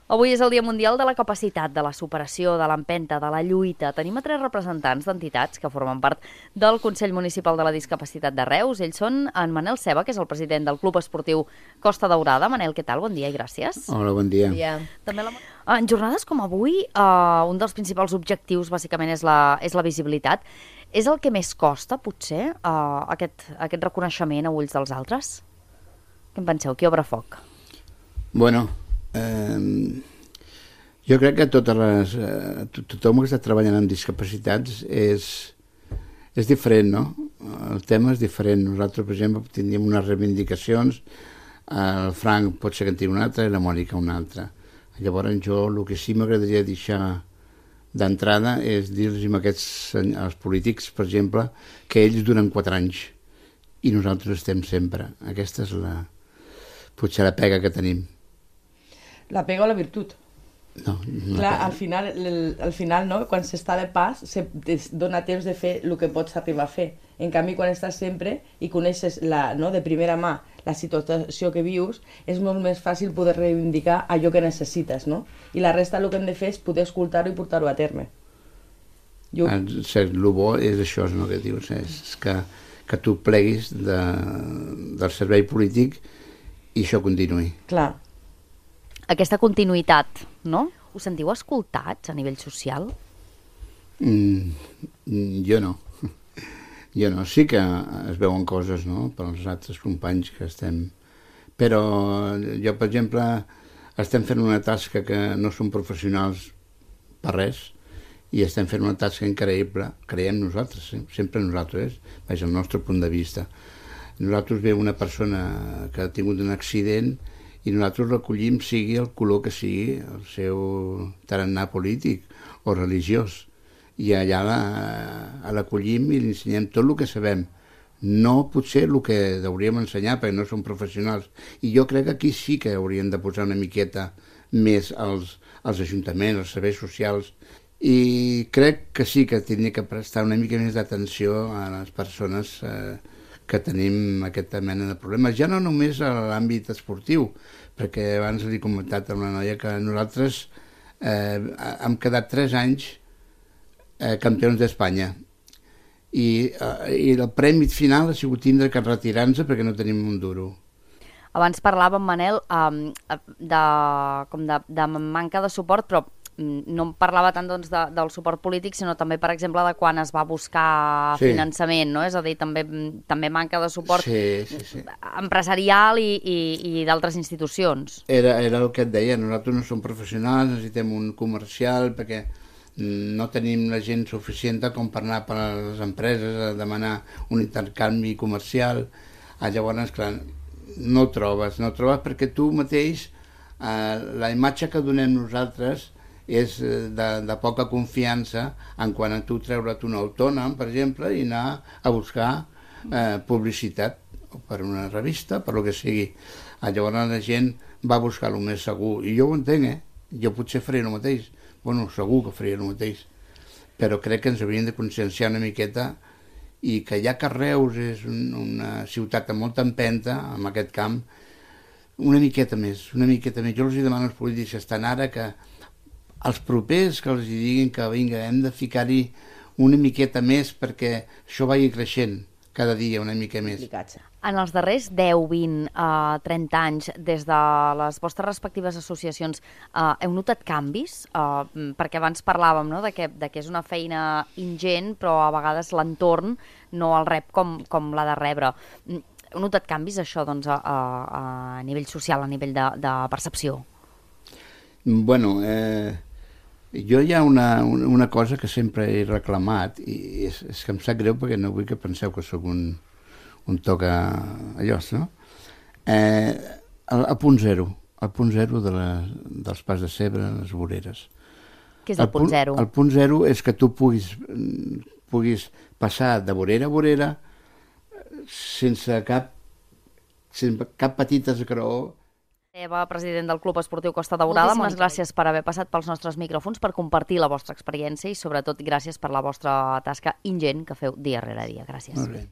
Avui és el Dia Mundial de la Capacitat, de la superació, de l'empenta, de la lluita. Tenim a 3 representants d'entitats que formen part del Consell Municipal de la Discapacitat de Reus. Ells són en Manel Ceba, que és el president del Club Esportiu Costa Daurada. Manel, què tal? Bon dia i gràcies. Hola, bon dia. També en jornades com avui, un dels principals objectius, bàsicament, és la visibilitat. És el que més costa, potser, aquest reconeixement a ulls dels altres? Què en penseu? Qui obre foc? Bueno, jo crec que tothom que està treballant amb discapacitats és diferent, no? El tema és diferent. Nosaltres, per exemple, tindríem unes reivindicacions, el Frank pot ser que en tingui una altra i la Mònica una altra. Llavors jo el que sí m'agradaria deixar d'entrada és dir-los als polítics, per exemple, que ells duren 4 anys i nosaltres estem sempre. Aquesta és potser la pega que tenim. La pega o la virtut? No. Clar, al final no? Quan s'està de pas, es dona temps de fer el que pots arribar a fer. En canvi, quan estàs sempre i coneixes de primera mà la situació que vius, és molt més fàcil poder reivindicar allò que necessites, no? I la resta el que hem de fer és poder escoltar-ho i portar-ho a terme. El bo és això, no, que dius, és que tu pleguis del servei polític i això continuï. Clar. Aquesta continuïtat, no? Us sentiu escoltats a nivell social? Jo no. Jo no. Sí que es veuen coses, no?, pels altres companys que estem... Però jo, per exemple, estem fent una tasca que no som professionals per res i estem fent una tasca increïble, creiem nosaltres, sempre nosaltres, és el nostre punt de vista. Nosaltres ve una persona que ha tingut un accident i nosaltres recollim, sigui el color que sigui, el seu tarannà polític o religiós. I allà l'acollim i li ensenyem tot el que sabem. No potser el que hauríem ensenyar, perquè no som professionals. I jo crec que aquí sí que haurien de posar una miqueta més als ajuntaments, als serveis socials. I crec que sí que hauria que prestar una mica més d'atenció a les persones que tenim aquesta mena de problemes, ja no només a l'àmbit esportiu, perquè abans li he comentat a una noia que nosaltres hem quedat 3 anys campions d'Espanya i el premi final ha sigut tindre que retirar-nos perquè no tenim un duro. Abans parlàvem, Manel, de manca de suport, però no em parlava tant del suport polític, sinó també, per exemple, de quan es va buscar finançament, no? És a dir, també manca de suport empresarial i d'altres institucions. Era el que et deia, nosaltres no som professionals, necessitem un comercial perquè no tenim la gent suficient com per anar per les empreses a demanar un intercanvi comercial. Llavors, clar, no ho trobes perquè tu mateix, la imatge que donem nosaltres és de poca confiança en quant a tu treure't un autònom, per exemple, i anar a buscar publicitat per una revista, per lo que sigui. Llavors la gent va buscar el més segur, i jo ho entenc, jo potser faria el mateix, bueno, segur que faria el mateix, però crec que ens hauríem de conscienciar una miqueta i que ja que Reus és una ciutat amb molta empenta en aquest camp, una miqueta més. Jo els demano als polítics que estan ara que els propers que els diguin que vinga, hem de ficar-hi una miqueta més perquè això vagi creixent cada dia una mica més. En els darrers 10, 20, 30 anys, des de les vostres respectives associacions, heu notat canvis? Perquè abans parlàvem, no?, de que és una feina ingent, però a vegades l'entorn no el rep com l'ha de rebre. Heu notat canvis, això, doncs, a nivell social, a nivell de percepció? Bueno, jo hi ha una cosa que sempre he reclamat i és que em sap greu perquè no vull que penseu que sóc un toca allò, no? El punt zero dels pas de Cebre, les voreres. Què és el punt zero? El punt zero és que tu puguis passar de vorera a vorera sense cap petita esgraó. Eva, president del Club Esportiu Costa Daurada, moltes gràcies per haver passat pels nostres micròfons, per compartir la vostra experiència i sobretot gràcies per la vostra tasca ingent que feu dia rere dia. Gràcies.